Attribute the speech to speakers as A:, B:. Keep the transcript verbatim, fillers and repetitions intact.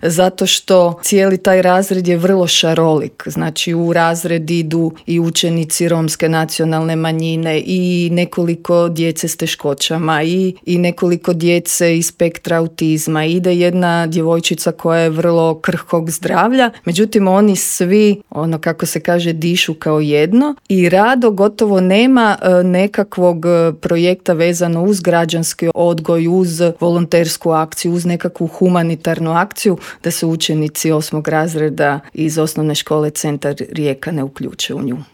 A: zato što cijeli taj razred je vrlo šarolik. Znači u razred idu i učenici romske nacionalne manjine i nekoliko djece s teškoćama i, i nekoliko djece iz spektra autizma. Ide jedna djevojčica koja je vrlo krhkog zdravlja, međutim oni svi, ono kako se kaže, dišu kao jedno i rado gotovo nema nekakvog projekta vezano uz građanski odgoj, uz volontersku akciju, uz nekakvu humanitarnu akciju da se učenici osmog razreda iz osnovne škole Centar Rijeka ne uključe u nju.